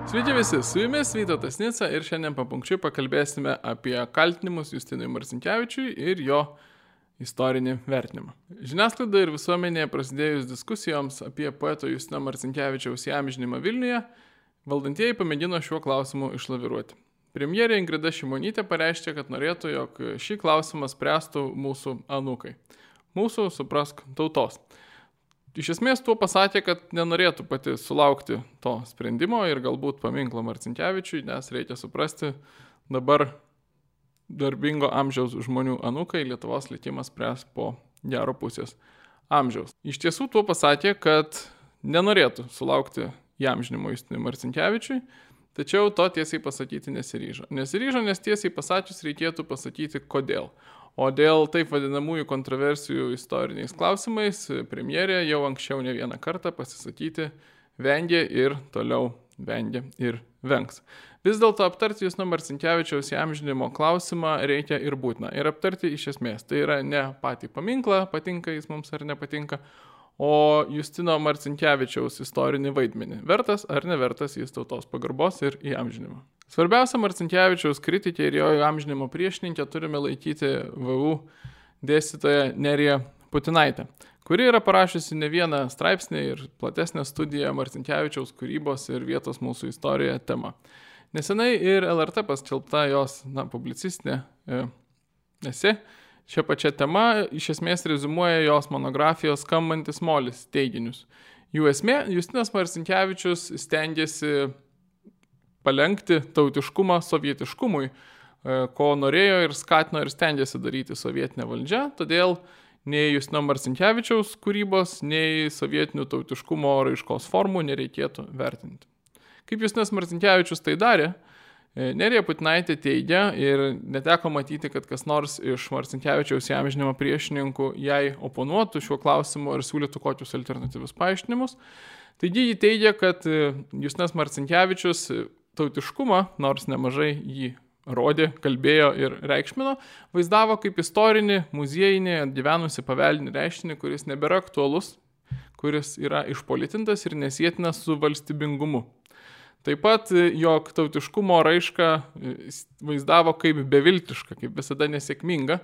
Sveiki visi, su jumis Vytautas Nica ir šiandien papunkčiui pakalbėsime apie kaltinimus Justinui Marcinkevičiui ir jo istorinį vertinimą. Žiniasklaida ir visuomenėje prasidėjus diskusijoms apie poeto Justino Marcinkevičiaus įamžinimą Vilniuje, valdantieji pamėgino šiuo klausimu išlaviruoti. Premjerė Ingrida Šimonytė pareiškė, kad norėtų, jog šį klausimą spręstų mūsų anūkai. Mūsų, suprask, tautos. Iš esmės tuo pasakė, kad nenorėtų pati sulaukti to sprendimo ir galbūt paminklo Marcinkevičiui, nes reikia suprasti, dabar darbingo amžiaus žmonių anūkai Lietuvos likimas spręs po gero pusės amžiaus. Iš tiesų tuo pasakė, kad nenorėtų sulaukti įamžinimo Justinui Marcinkevičiui, tačiau to tiesiai pasakyti nesiryžo. Nesiryžo, nes tiesiai pasakius reikėtų pasakyti kodėl. O dėl taip vadinamųjų kontroversijų istoriniais klausimais premjerė jau anksčiau ne vieną kartą pasisakyti vengė ir toliau vengia ir vengs. Vis dėlto aptarti Justino Marcinkevičiaus įamžinimo klausimą reikia ir būtina. Ir aptarti iš esmės. Tai yra ne patį paminklą, patinka jis mums ar nepatinka, o Justino Marcinkevičiaus istorinį vaidmenį. Vertas ar nevertas jis tautos pagarbos ir įamžinimo. Svarbiausia Marcinkevičiaus kritikė ir jo įamžinimo priešininkė turime laikyti VU dėstytoją Neriją Putinaitę, kuri yra parašiusi ne vieną straipsnį ir platesnę studiją Marcinkevičiaus kūrybos ir vietos mūsų istorijoje tema. Nesenai ir LRT paskelbta jos publicistinė esė šią pačią temą iš esmės rezumuoja jos monografijos Skambantis molis teiginius. Jų esmė, Justinas Marcinkevičius stengiasi palenkti tautiškumą sovietiškumui, ko norėjo ir skatino ir stengiasi daryti sovietinė valdžia, todėl nei Justino Marcinkevičiaus kūrybos, nei sovietinių tautiškumo raiškos formų nereikėtų vertinti. Kaip Justinas Marcinkevičius tai darė, Nerija Putinaitė teigia ir neteko matyti, kad kas nors iš Marcinkevičiaus įamžinimo priešininkų jai oponuotų šiuo klausimu ir siūlytų kokius alternatyvius paaiškinimus. Taigi ji teigia, kad Justinas Marcinkevičius tautiškumą, nors nemažai jį rodė, kalbėjo ir reikšmino, vaizdavo kaip istorinį, muziejinį, atgyvenusi paveldinį reiškinį, kuris nebėra aktualus, kuris yra išpolitintas ir nesėtinas su valstybingumu. Taip pat, jog tautiškumo raišką vaizdavo kaip beviltišką, kaip visada nesėkminga,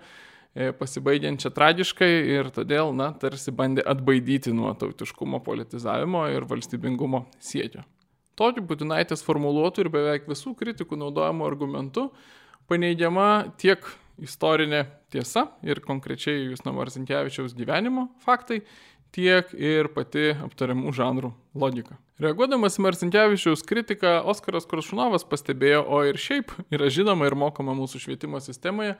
pasibaigiančią tragiškai ir todėl, tarsi bandė atbaidyti nuo tautiškumo politizavimo ir valstybingumo siekio. Tokiu Putinaitės formuluotų ir beveik visų kritikų naudojamų argumentų paneigiama tiek istorinė tiesa ir konkrečiai Justino Marcinkevičiaus gyvenimo faktai, tiek ir pati aptariamų žanrų logika. Reaguodamas į Marcinkevičiaus kritiką, Oskaras Koršunovas pastebėjo, o ir šiaip yra žinoma ir mokama mūsų švietimo sistemoje,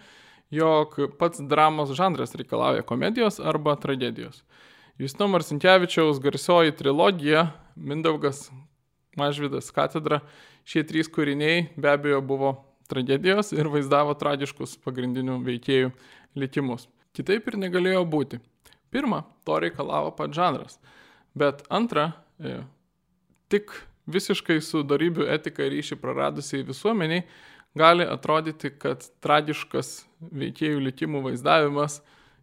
jog pats dramos žanras reikalauja komedijos arba tragedijos. Justino Marcinkevičiaus garsioji trilogija Mindaugas, Mažvydas, Katedra, šie trys kūriniai be abejo buvo tragedijos ir vaizdavo tragiškus pagrindinių veikėjų likimus. Kitaip ir negalėjo būti. Pirma, to reikalavo pats žanras, bet antra, tik visiškai su dorybių etika ryšį praradusiai visuomeniai gali atrodyti, kad tragiškas veikėjų likimų vaizdavimas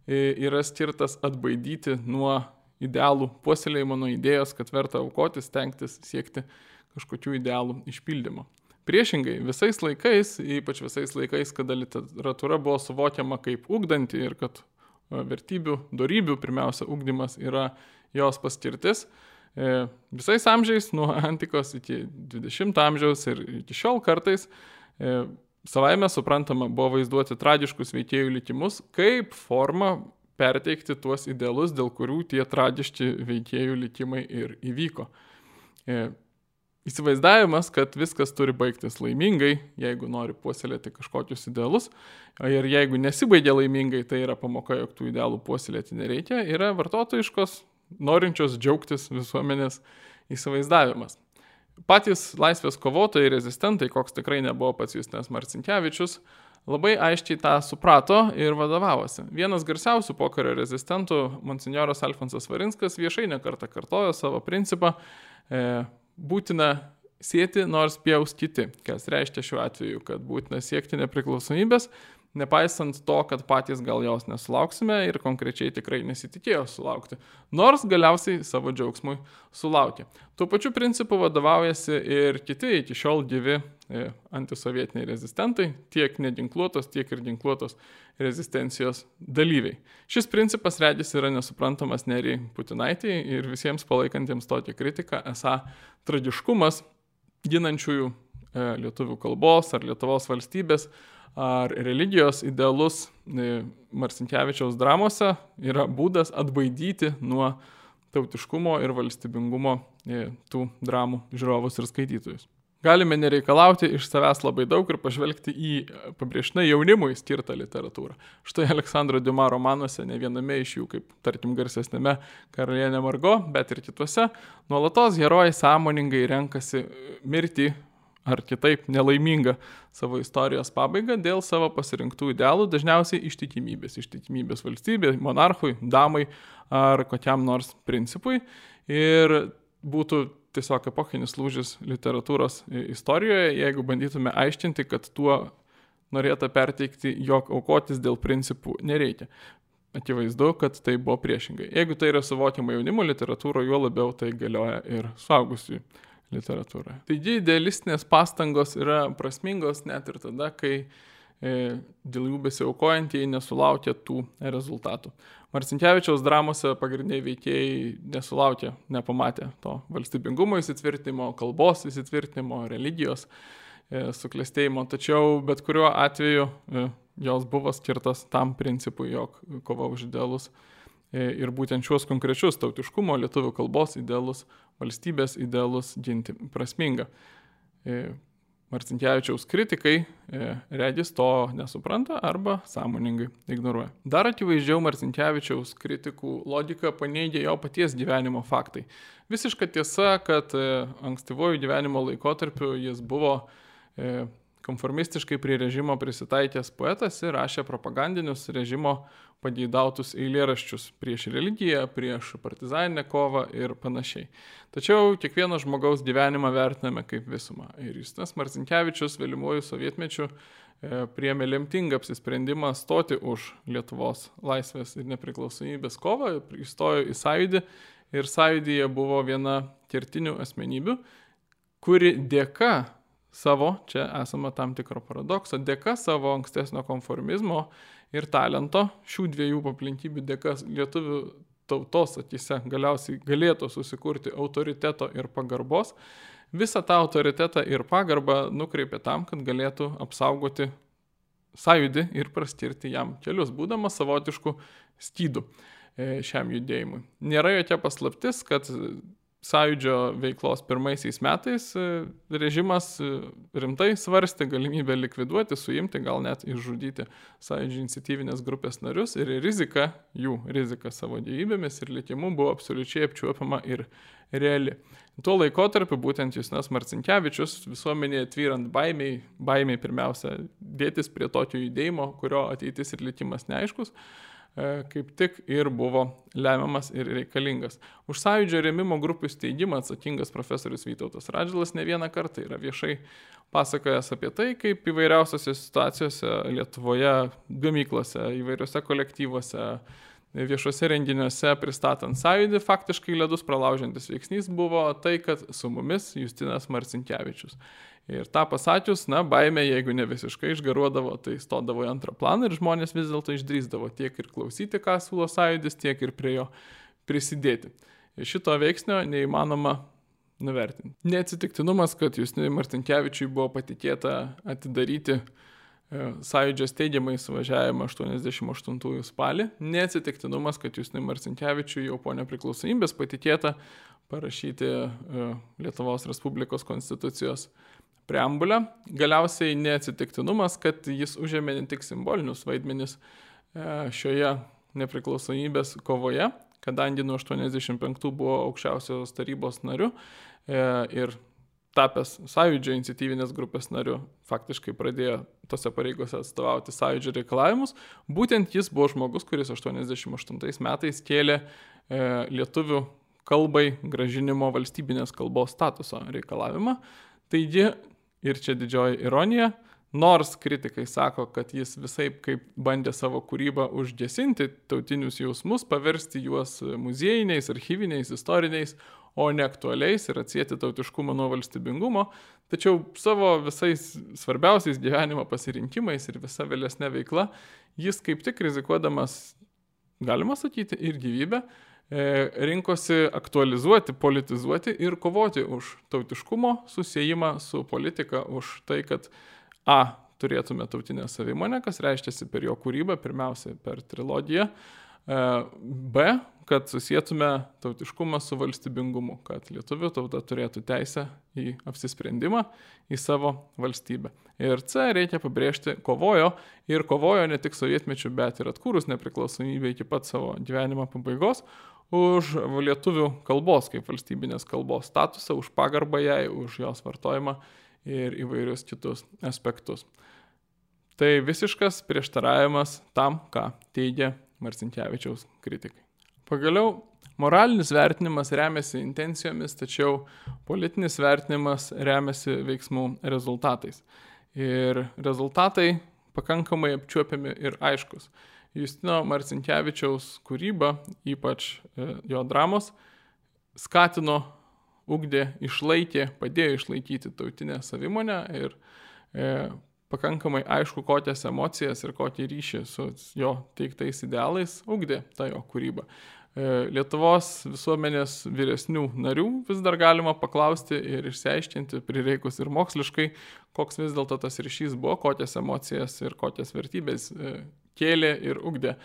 yra skirtas atbaidyti nuo idealų puoselėjimo, nuo idėjos, kad verta aukotis, stengtis siekti kažkokių idealų išpildymo. Priešingai, visais laikais, ypač visais laikais, kada literatūra buvo suvokiama kaip ugdanti ir kad vertybių, dorybių pirmiausia ugdymas yra jos paskirtis, visais amžiais, nuo antikos iki 20 amžiaus ir iki šiol kartais, savaime suprantama buvo vaizduoti tragiškus veikėjų likimus kaip forma perteikti tuos idealus, dėl kurių tie tragiški veikėjų likimai ir įvyko. Įsivaizdavimas, kad viskas turi baigtis laimingai, jeigu nori puoselėti kažkokius idealus, ir jeigu nesibaigia laimingai, tai yra pamoka, jog tų idealų puoselėti nereikia, yra vartotojiškos, norinčios džiaugtis visuomenės įsivaizdavimas. Patys laisvės kovotojai, rezistentai, koks tikrai nebuvo pats Justinas Marcinkevičius, labai aiškiai tą suprato ir vadovavosi. Vienas garsiausių pokario rezistentų, monsinjoras Alfonsas Varinskas, viešai nekartą kartojo savo principą būtina sieti nors pjaus kiti, kas reiškia šiuo atveju, kad būtina siekti nepriklausomybės, nepaisant to, kad patys gal jos nesulauksime ir konkrečiai tikrai nesitikėjo sulaukti, nors galiausiai savo džiaugsmui sulaukė. Tuo pačiu principu vadovaujasi ir kiti iki šiol gyvi antisovietiniai rezistentai, tiek neginkluotos, tiek ir ginkluotos rezistencijos dalyviai. Šis principas regis yra nesuprantamas Nerijai Putinaitei ir visiems palaikantiems tokią kritiką, esą tragiškumas ginančiųjų lietuvių kalbos ar Lietuvos valstybės ar religijos idealus Marcinkevičiaus dramose yra būdas atbaidyti nuo tautiškumo ir valstybingumo tų dramų žiūrovus ir skaitytojus. Galime nereikalauti iš savęs labai daug ir pažvelgti į pabrėžtinai jaunimui skirtą literatūrą. Štai Aleksandro Diuma romanuose, ne viename iš jų, kaip tarkim garsesnėme Karalienė Margo, bet ir kituose, nuolatos herojai sąmoningai renkasi mirtį ar kitaip nelaimingą savo istorijos pabaigą dėl savo pasirinktų idealų, dažniausiai ištikimybės valstybei, monarchui, damai ar kokiam nors principui. Ir būtų tiesiog epochinis lūžis literatūros istorijoje, jeigu bandytume aiškinti, kad tuo norėta perteikti, jog aukotis dėl principų nereikia. Akivaizdu, kad tai buvo priešingai. Jeigu tai yra suvokiama jaunimo literatūroje, juo labiau tai galioja ir suaugusių literatūroje. Taigi idealistinės pastangos yra prasmingos net ir tada, kai dėl jų besiaukojantieji nesulaukia tų rezultatų. Marcinkevičiaus dramose pagrindiniai veikėjai nesulaukė, nepamatė to valstybingumo įsitvirtinimo, kalbos įsitvirtinimo, religijos suklestėjimo, tačiau bet kuriuo atveju jos buvo skirtas tam principui, jog kova už idealus ir būtent šios konkrečius tautiškumo, lietuvių kalbos idealus, valstybės idealus ginti prasminga. Marcinkevičiaus kritikai regis to nesupranta arba sąmoningai ignoruoja. Dar akivaizdžiau Marcinkevičiaus kritikų logiką paneigia jo paties gyvenimo faktai. Visiška tiesa, kad ankstyvojų gyvenimo laikotarpiu jis buvo konformistiškai prie režimo prisitaikęs poetas ir rašė propagandinius režimo pageidautus eilėraščius prieš religiją, prieš partizaninę kovą ir panašiai. Tačiau kiekvieno žmogaus gyvenimą vertiname kaip visumą. Ir Justinas Marcinkevičius vėlyvuoju sovietmečiu priėmė lemtingą apsisprendimą stoti už Lietuvos laisvės ir nepriklausomybės kovą, įstojo į Sąjūdį ir Sąjūdyje buvo viena kertinių asmenybių, kuri dėka savo, čia esama tam tikro paradokso, dėka savo ankstesnio konformizmo ir talento, šių dviejų aplinkybių dėka lietuvių tautos akyse galiausiai galėtų susikurti autoriteto ir pagarbos, visą tą autoritetą ir pagarbą nukreipė tam, kad galėtų apsaugoti Sąjūdį ir praskirti jam kelius, būdamas savotišku skydu šiam judėjimui. Nėra jokia paslaptis, kad Sąjūdžio veiklos pirmaisiais metais režimas rimtai svarstė galimybę likviduoti, suimti, gal net išžudyti Sąjūdžio iniciatyvinės grupės narius ir jų rizika savo gyvybėmis ir likimu buvo absoliučiai apčiuopiama ir reali. Tuo laikotarpiu būtent Justinas Marcinkevičius visuomenėje tvyrant baimiai pirmiausia dėtis prie tokio judėjimo, kurio ateitis ir likimas neaiškus, kaip tik ir buvo lemiamas ir reikalingas. Už Sąjūdžio rėmimo grupių steigimą atsakingas profesorius Vytautas Radžvilas ne vieną kartą yra viešai pasakojęs apie tai, kaip įvairiausiose situacijose Lietuvoje, gamyklose, įvairiose kolektyvuose, viešuose renginiuose pristatant Sąjūdį, faktiškai ledus pralaužiantis veiksnys buvo tai, kad su mumis Justinas Marcinkevičius. Ir tą pasakius, baimė, jeigu ne visiškai išgaruodavo, tai stodavo į antrą planą ir žmonės vis dėlto išdrįsdavo tiek ir klausyti, ką siūlo Sąjūdis, tiek ir prie jo prisidėti. Šito veiksnio neįmanoma nuvertinti. Neatsitiktinumas, kad Justinui Marcinkevičiui buvo patikėta atidaryti Sąjūdžio steigiamąjį suvažiavimą 88 spalį. Neatsitiktinumas, kad Justinui Marcinkevičiui jau po nepriklausomybės patikėta parašyti Lietuvos Respublikos konstitucijos preambulę. Galiausiai neatsitiktinumas, kad jis užėmė ne tik simbolinius vaidmenis šioje nepriklausomybės kovoje, kadangi nuo 85 buvo aukščiausios tarybos nariu ir tapęs Sąjūdžio iniciatyvinės grupės nariu, faktiškai pradėjo tose pareigose atstovauti Sąjūdžio reikalavimus. Būtent jis buvo žmogus, kuris 88 metais kėlė lietuvių kalbai grąžinimo valstybinės kalbos statuso reikalavimą. Taigi, ir čia didžioji ironija, Nors kritikai sako, kad jis visaip kaip bandė savo kūrybą užgesinti tautinius jausmus, paversti juos muziejiniais, archyviniais, istoriniais, o ne aktualiais ir atsieti tautiškumą nuo valstybingumo, tačiau savo visais svarbiausiais gyvenimo pasirinkimais ir visa vėlesnė veikla, jis kaip tik rizikuodamas, galima sakyti, ir gyvybę, rinkosi aktualizuoti, politizuoti ir kovoti už tautiškumo susiejimą su politika, už tai, kad turėtume tautinę savimonę, kas reiškiasi per jo kūrybą, pirmiausia per trilogiją, B, kad susietume tautiškumą su valstybingumu, kad lietuvių tauta turėtų teisę į apsisprendimą, į savo valstybę. Ir C, reikia pabrėžti, kovojo ne tik sovietmečiu, bet ir atkūrus nepriklausomybę iki pat savo gyvenimo pabaigos, už lietuvių kalbos kaip valstybinės kalbos statusą, už pagarbą jai, už jos vartojimą ir įvairius kitus aspektus. Tai visiškas prieštaravimas tam, ką teigia Marcinkevičiaus kritikai. Pagaliau, moralinis vertinimas remiasi intencijomis, tačiau politinis vertinimas remiasi veiksmų rezultatais. Ir rezultatai pakankamai apčiuopiami ir aiškus. Justino Marcinkevičiaus kūryba, ypač jo dramos, skatino, ugdė, išlaikė, padėjo išlaikyti tautinę savimonę ir pakankamai aišku, kokias emocijas ir kokį ryšį su jo teiktais idealais ugdė ta jo kūryba. Lietuvos visuomenės vyresnių narių vis dar galima paklausti ir išsiaiškinti, prireikus ir moksliškai, koks vis dėlto tas ryšys buvo, kokias emocijas ir kokias vertybės kėlė ir ugdė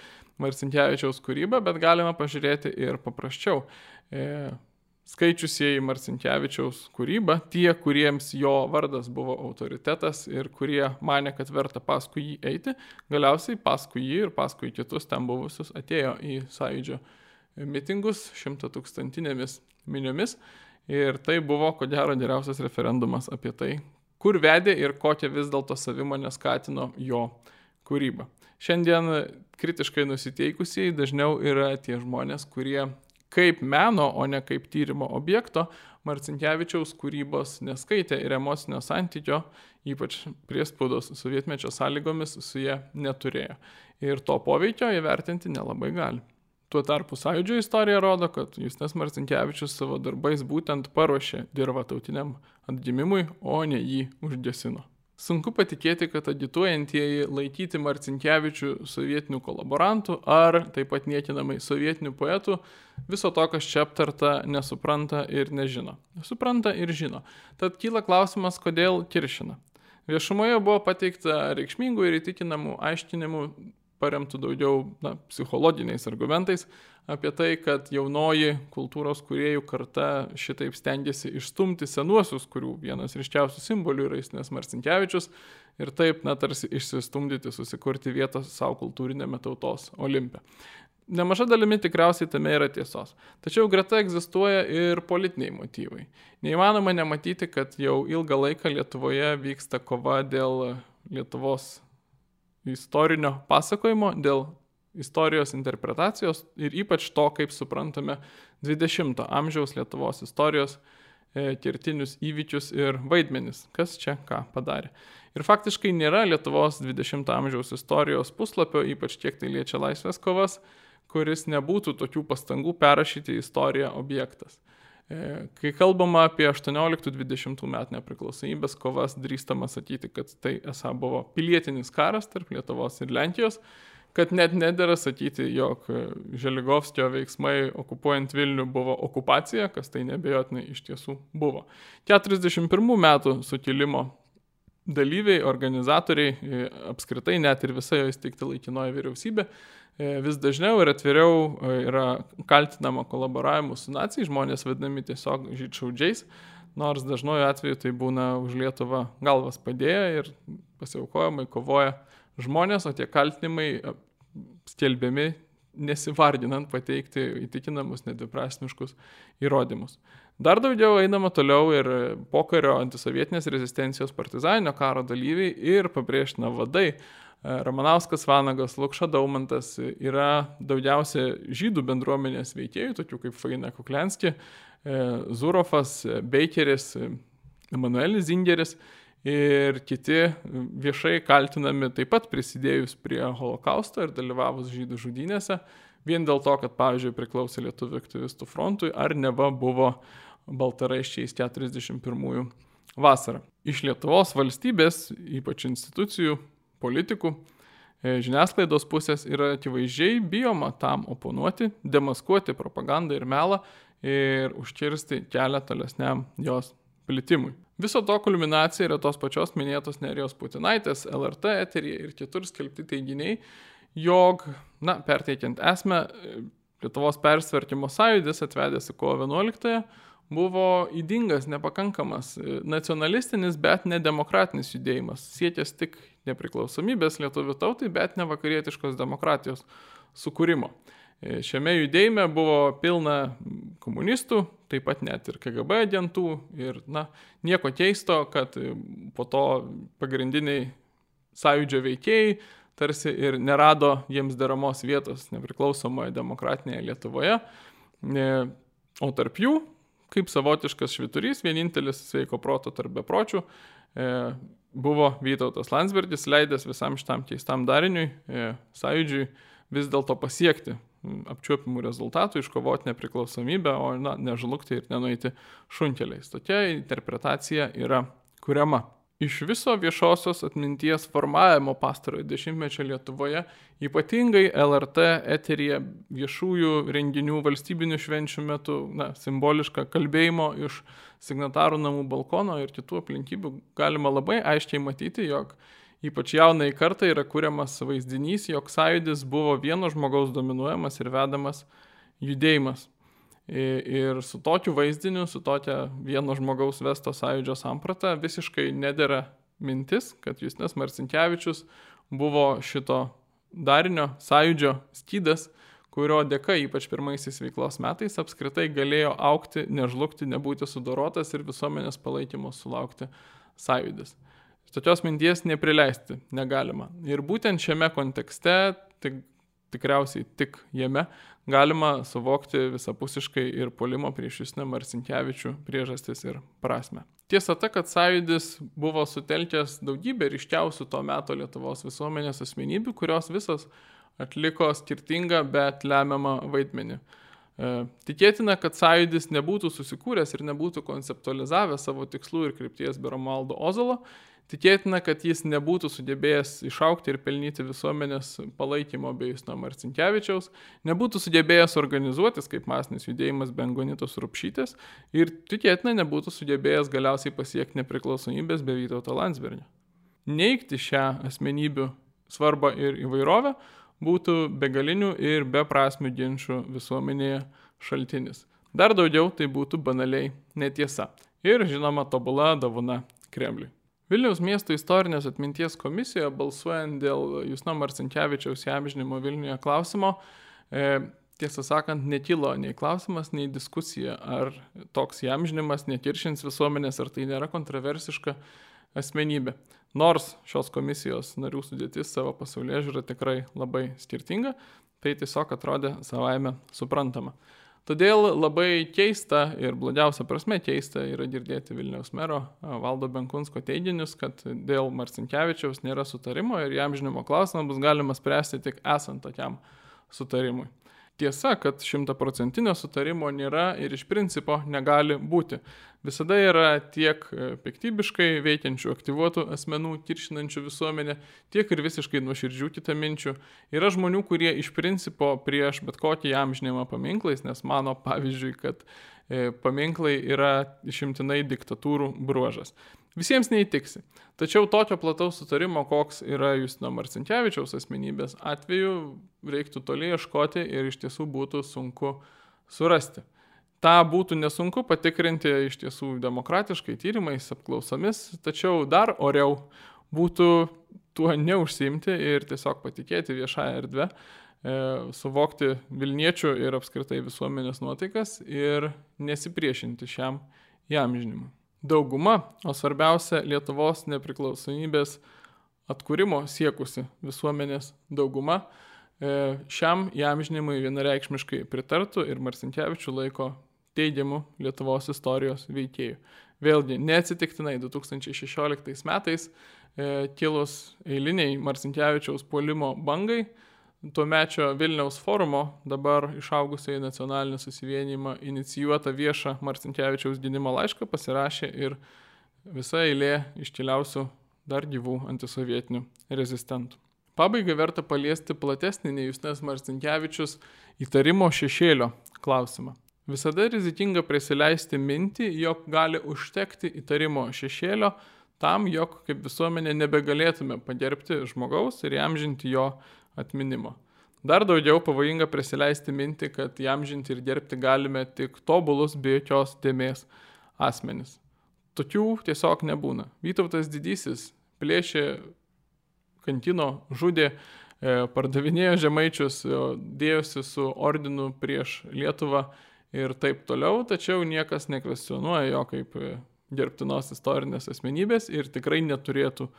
Marcinkevičiaus kūrybą, bet galima pažiūrėti ir paprasčiau. Skaičiusieji Marcinkevičiaus kūrybą, tie, kuriems jo vardas buvo autoritetas ir kurie manė, kad verta paskui jį eiti, galiausiai paskui jį ir paskui kitus ten buvusius atėjo į Sąjūdžio mitingus 100-tūkstantinėmis miniomis ir tai buvo, ko gero, geriausias referendumas apie tai, kur vedė ir kokią vis dėlto savimonę skatino jo kūrybą. Šiandien kritiškai nusiteikusieji dažniau yra tie žmonės, kurie kaip meno, o ne kaip tyrimo objekto, Marcinkevičiaus kūrybos neskaitė ir emocinio santykio, ypač priespaudos sovietmečio sąlygomis, su jie neturėjo. Ir to poveikio įvertinti nelabai gali. Tuo tarpu Sąjūdžio istorija rodo, kad Justinas Marcinkevičius savo darbais būtent paruošė dirvą tautiniam atgimimui, o ne jį užgesino. Sunku patikėti, kad agituojantieji laikyti Marcinkevičių sovietinių kolaborantų ar taip pat niekinamai sovietinių poetų viso to, kas čia aptarta, nesupranta ir nežino. Supranta ir žino. Tad kyla klausimas, kodėl kiršina. Viešumoje buvo pateikta reikšmingų ir įtikinamų aiškinimų, paremtų daugiau psichologiniais argumentais apie tai, kad jaunoji kultūros kūrėjų karta šitaip stengiasi išstumti senuosius, kurių vienas ryškiausių simbolių yra Justinas Marcinkevičius ir taip, tarsi išsistumdyti, susikurti vietą savo kultūrinėme tautos olimpe. Nemaža dalimi tikriausiai tame yra tiesos. Tačiau greta egzistuoja ir politiniai motyvai. Neįmanoma nematyti, kad jau ilgą laiką Lietuvoje vyksta kova dėl Lietuvos istorinio pasakojimo, dėl istorijos interpretacijos ir ypač to, kaip suprantame 20 amžiaus Lietuvos istorijos kertinius įvykius ir vaidmenis, kas čia ką padarė. Ir faktiškai nėra Lietuvos 20 amžiaus istorijos puslapio, ypač kiek tai liečia laisvės kovas, kuris nebūtų tokių pastangų perrašyti istoriją objektas. Kai kalbama apie 18-20 metų nepriklausomybės kovas, drįstama sakyti, kad tai esą buvo pilietinis karas tarp Lietuvos ir Lenkijos, kad net nedera sakyti, jog Želigovskio veiksmai okupuojant Vilnių buvo okupacija, kas tai neabejotinai iš tiesų buvo. 41 metų sukilimo dalyviai, organizatoriai, apskritai net ir visa jo įsteigta laikinoji vyriausybė, vis dažniau ir atviriau yra kaltinama kolaboravimu su nacijai, žmonės vadinami tiesiog žydšaudžiais, nors dažnoju atveju tai būna už Lietuvą galvas padėję ir pasiaukojamai kovoja žmonės, o tie kaltinimai skelbiami nesivardinant pateikti įtikinamus nedviprasmiškus įrodymus. Dar daugiau einama toliau ir pokario antisovietinės rezistencijos partizaninio karo dalyviai ir pabrėžtina vadai. Ramanauskas, Vanagas, Lukša Daumantas yra daugiausia žydų bendruomenės veikėjų, tokių kaip Faina Kuklianski, Zurofas, Beikeris, Emanuelis Zingeris. ir kiti viešai kaltinami taip pat prisidėjus prie holokausto ir dalyvavus žydų žudynėse, vien dėl to, kad, pavyzdžiui, priklausė Lietuvių aktyvistų frontui ar neva buvo baltaraiščiais 41 vasarą. Iš Lietuvos valstybės, ypač institucijų, politikų, žiniasklaidos pusės yra akivaizdžiai bijoma tam oponuoti, demaskuoti propagandą ir melą ir užkirsti kelią tolesniam jos plitimui. Viso to kulminacija yra tos pačios minėtos Nerijos Putinaitės LRT eteryje ir kitur skelbti teiginiai, jog, perteikiant esmę, Lietuvos persitvarkymo sąjūdis atvedęs į kovo 11-ąją buvo ydingas, nepakankamas, nacionalistinis, bet nedemokratinis judėjimas, siekęs tik nepriklausomybės lietuvių tautai, bet ne vakarietiškos demokratijos sukūrimo. Šiame judėjime buvo pilna komunistų, taip pat net ir KGB agentų ir, nieko keisto, kad po to pagrindiniai sąjūdžio veikėjai tarsi ir nerado jiems deramos vietos nepriklausomoje demokratinėje Lietuvoje, o tarp jų, kaip savotiškas švyturys, vienintelis sveiko proto tarp bepročių, buvo Vytautas Landsbergis, leidęs visam šitam keistam dariniui, sąjūdžiui vis dėlto pasiekti apčiuopimų rezultatų, iškovoti nepriklausomybę, o nežlugti ir nenueiti šunkeliais. Tokia interpretacija yra kuriama. Iš viso viešosios atminties formavimo pastarojo dešimtmečio Lietuvoje, ypatingai LRT eteryje viešųjų renginių valstybinių švenčių metu, simbolišką kalbėjimo iš signatarų namų balkono ir kitų aplinkybių, galima labai aiškiai matyti, jog ypač jaunai kartai yra kuriamas vaizdinys, jog sąjūdis buvo vieno žmogaus dominuojamas ir vedamas judėjimas. Ir su tokiu vaizdiniu, su tokia vieno žmogaus vesto sąjūdžio samprata visiškai nedera mintis, kad Justinas Marcinkevičius buvo šito darinio sąjūdžio skydas, kurio dėka ypač pirmaisiais veiklos metais apskritai galėjo augti, nežlugti, nebūti sudorotas ir visuomenės palaikymo sulaukti sąjūdis. Tokios minties neprileisti negalima. Ir būtent šiame kontekste, tikriausiai tik jame, galima suvokti visapusiškai ir puolimo prieš Justiną Marcinkevičių priežastis ir prasmę. Tiesa ta, kad sąjūdis buvo sutelkęs daugybę ryškiausių to meto Lietuvos visuomenės asmenybių, kurios visos atliko skirtingą, bet lemiamą vaidmenį. Tikėtina, kad sąjūdis nebūtų susikūręs ir nebūtų konceptualizavęs savo tikslų ir krypties be Romualdo Ozolo. Tikėtina, kad jis nebūtų sugebėjęs išaukti ir pelnyti visuomenės palaikymo be Justino Marcinkevičiaus, nebūtų sugebėjęs organizuotis kaip masinis judėjimas be Angonitos Rupšytės ir tikėtina nebūtų sugebėjęs galiausiai pasiekti nepriklausomybės be Vytauto Landsbergio. Neigti šią asmenybių svarbą ir įvairovę būtų begalinių ir beprasmių ginčių visuomenėje šaltinis. Dar daugiau tai būtų banaliai netiesa ir, žinoma, tobula dovana Kremliui. Vilniaus miesto istorinės atminties komisijoje balsuojant dėl Justino Marcinkevičiaus įamžinimo Vilniuje klausimo, tiesą sakant, nekilo nei klausimas, nei diskusija, ar toks įamžinimas nekiršins visuomenės, ar tai nėra kontroversiška asmenybė. Nors šios komisijos narių sudėtis savo pasaulėžiūrą tikrai labai skirtinga, tai tiesiog atrodė savaime suprantama. Todėl labai keista ir blogiausia prasme keista yra girdėti Vilniaus mero Valdo Benkunsko teiginius, kad dėl Marcinkevičiaus nėra sutarimo ir įamžinimo klausimą bus galima spręsti tik esant tokiam sutarimui. Tiesa, kad 100% sutarimo nėra ir iš principo negali būti. Visada yra tiek piktybiškai veikiančių, aktyvuotų asmenų, kiršinančių visuomenę, tiek ir visiškai nuoširdžių kitaminčių. Yra žmonių, kurie iš principo prieš bet kokį įamžinimą paminklais, nes mano, pavyzdžiui, kad paminklai yra išimtinai diktatūrų bruožas. Visiems neįtiksi. Tačiau tokio plataus sutarimo, koks yra Justino Marcinkevičiaus asmenybės atveju, reiktų toli ieškoti ir iš tiesų būtų sunku surasti. Ta būtų nesunku patikrinti iš tiesų demokratiškai tyrimais, apklausomis, tačiau dar oriau būtų tuo neužsiimti ir tiesiog patikėti viešąją erdvę, suvokti Vilniečių ir apskritai visuomenės nuotaikas ir nesipriešinti šiam įamžinimui. Dauguma, o svarbiausia Lietuvos nepriklausomybės atkūrimo siekusi visuomenės dauguma, šiam įamžinimui vienareikšmiškai pritartų ir Marcinkevičių laiko teigiamų Lietuvos istorijos veikėjų. Vėlgi, neatsitiktinai 2016 metais kilus eiliniai Marcinkevičiaus puolimo bangai, tuomečio Vilniaus forumo, dabar išaugusiai nacionalinį susivienijimą inicijuotą viešą Marcinkevičiaus gynimo laišką pasirašė ir visa eilė iškiliausių dar gyvų antisovietinių rezistentų. Pabaigai verta paliesti platesnį nei Justinas Marcinkevičius įtarimo šešėlio klausimą. Visada rizikinga prisileisti mintį, jog gali užtekti įtarimo šešėlio tam, jog kaip visuomenė nebegalėtume pagerbti žmogaus ir įamžinti jo atminimo. Dar daugiau pavojinga prisileisti mintį, kad įamžinti ir gerbti galime tik tobulus be jokios dėmės asmenis. Tokių tiesiog nebūna. Vytautas Didysis plėšė, kankino, žudė, pardavinėjo žemaičius, dėjosi su ordinu prieš Lietuvą ir taip toliau, tačiau niekas nekvestionuoja jo kaip gerbtinos istorinės asmenybės ir tikrai neturėtų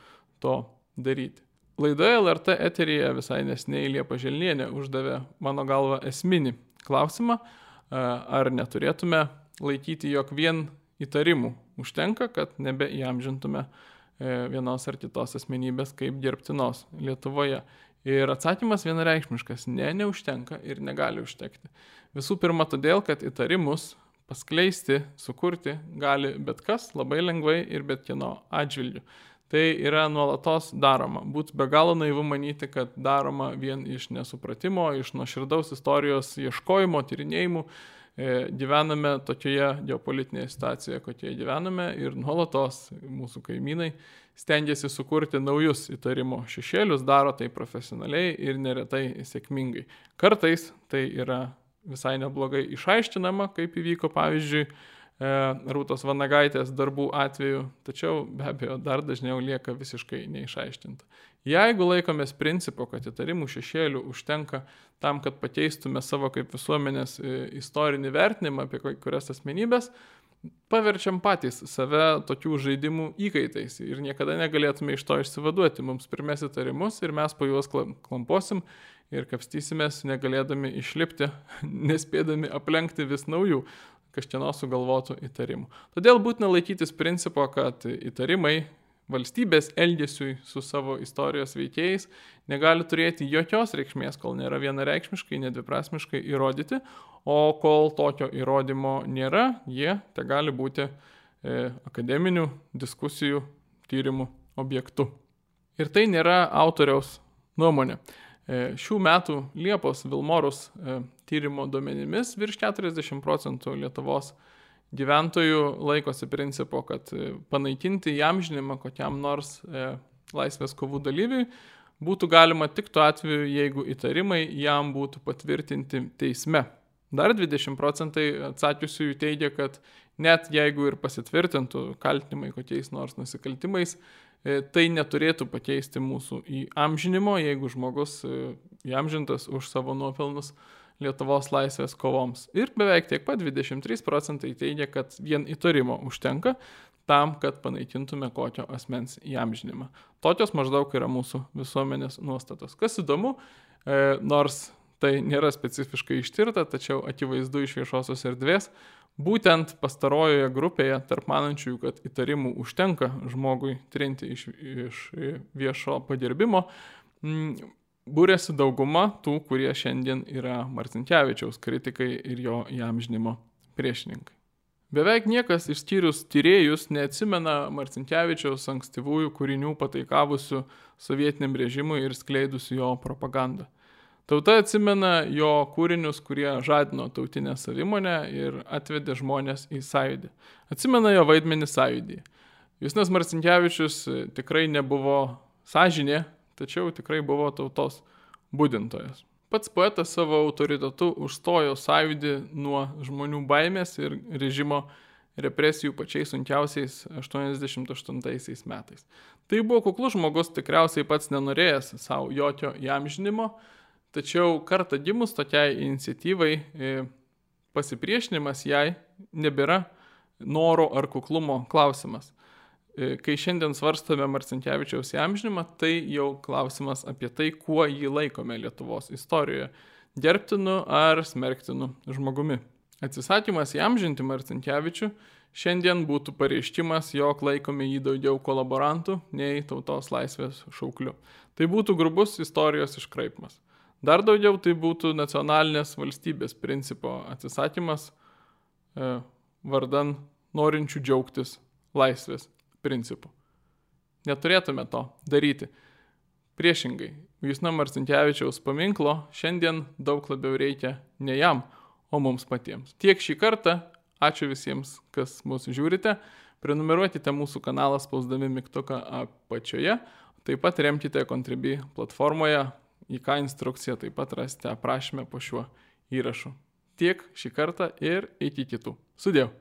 to daryti. Laidoje LRT eteryje visai neseniai Liepa Želnienė uždavė, mano galva, esminį klausimą, ar neturėtume laikyti, jog vien įtarimų užtenka, kad nebeįamžintume vienos ar kitos asmenybės kaip gerbtinos Lietuvoje. Ir atsakymas vienareikšmiškas – neužtenka ir negali užtekti. Visų pirma todėl, kad įtarimus paskleisti, sukurti gali bet kas labai lengvai ir bet kieno atžvilgiu. Tai yra nuolatos daroma. Būtų be galo naivu manyti, kad daroma vien iš nesupratimo, iš nuoširdaus istorijos ieškojimo, tyrinėjimų. Gyvename tokioje geopolitinėje situacijoje, kokioje gyvename ir nuolatos mūsų kaimynai stengiasi sukurti naujus įtarimo šešėlius, daro tai profesionaliai ir neretai sėkmingai. Kartais tai yra visai neblogai išaiškinama, kaip įvyko pavyzdžiui Rūtos Vanagaitės darbų atveju, tačiau be abejo dar dažniau lieka visiškai neišaiškinta. Jeigu laikomės principo, kad įtarimų šešėlių užtenka tam, kad pakeistume savo kaip visuomenės istorinį vertinimą apie kurias asmenybės, paverčiam patys save tokių žaidimų įkaitais ir niekada negalėtume iš to išsivaduoti. Mums primės įtarimus ir mes po juos klamposim ir kapstysimės, negalėdami išlipti, nespėdami aplenkti vis naujų kažkieno sugalvotų įtarimų. Todėl būtina laikytis principo, kad įtarimai valstybės elgesiui su savo istorijos veikėjais negali turėti jokios reikšmės, kol nėra vienareikšmiškai, nedviprasmiškai įrodyti, o kol tokio įrodymo nėra, jie te gali būti akademinių diskusijų tyrimų objektu. Ir tai nėra autoriaus nuomonė. Šių metų Liepos Vilmorus tyrimo duomenimis virš 40% Lietuvos gyventojų laikosi principo, kad panaikinti įamžinimą kokiam nors laisvės kovų dalyviui būtų galima tik tuo atveju, jeigu įtarimai jam būtų patvirtinti teisme. Dar 20% atsakiusiųjų teigia, kad net jeigu ir pasitvirtintų kaltinimai kokiais nors nusikaltimais, tai neturėtų pakeisti mūsų įamžinimo, jeigu žmogus įamžintas už savo nuopelnus Lietuvos laisvės kovoms. Ir beveik tiek pat 23% teigia, kad vien įtarimo užtenka tam, kad panaikintume kokio asmens įamžinimą. Tokios maždaug yra mūsų visuomenės nuostatos. Kas įdomu, nors tai nėra specifiškai ištirta, tačiau akivaizdu iš viešosios erdvės, būtent pastarojoje grupėje tarp manančiųjų, kad įtarimų užtenka žmogui trinti iš viešo pagerbimo, būrėsi dauguma tų, kurie šiandien yra Marcinkevičiaus kritikai ir jo įamžinimo priešininkai. Beveik niekas išskyrus tyrėjus neatsimena Marcinkevičiaus ankstyvųjų kūrinių pataikavusių sovietiniam režimui ir skleidusių jo propagandą. Tauta atsimena jo kūrinius, kurie žadino tautinę savimonę ir atvedė žmonės į sąjūdį. Atsimena jo vaidmenį sąjūdyje. Justinas Marcinkevičius tikrai nebuvo sąžinė, tačiau tikrai buvo tautos budintojas. Pats poetas savo autoritetu užstojo sąjūdį nuo žmonių baimės ir režimo represijų pačiais sunkiausiais 88 metais. Tai buvo kuklus žmogus, tikriausiai pats nenorėjęs savo jokio įamžinimo, tačiau kartą gimus tokiai iniciatyvai pasipriešinimas jai nebėra noro ar kuklumo klausimas. Kai šiandien svarstame Marcinkevičiaus įamžinimą, tai jau klausimas apie tai, kuo jį laikome Lietuvos istorijoje – gerbtinu ar smerktinu žmogumi. Atsisakymas įamžinti Marcinkevičių šiandien būtų pareiškimas, jog laikome jį daugiau kolaborantų nei tautos laisvės šaukliu. Tai būtų grubus istorijos iškraipimas. Dar daugiau tai būtų nacionalinės valstybės principo atsisakymas vardan norinčių džiaugtis laisvės principu. Neturėtume to daryti. Priešingai, Justino Marcinkevičiaus paminklo šiandien daug labiau reikia ne jam, o mums patiems. Tiek šį kartą, ačiū visiems, kas mūsų žiūrite, prenumeruokite mūsų kanalą spausdami mygtuką apačioje, taip pat remkite Contribui platformoje, į ką instrukciją taip pat rasite aprašyme po šiuo įrašu. Tiek šį kartą ir iki kitų. Sudiev.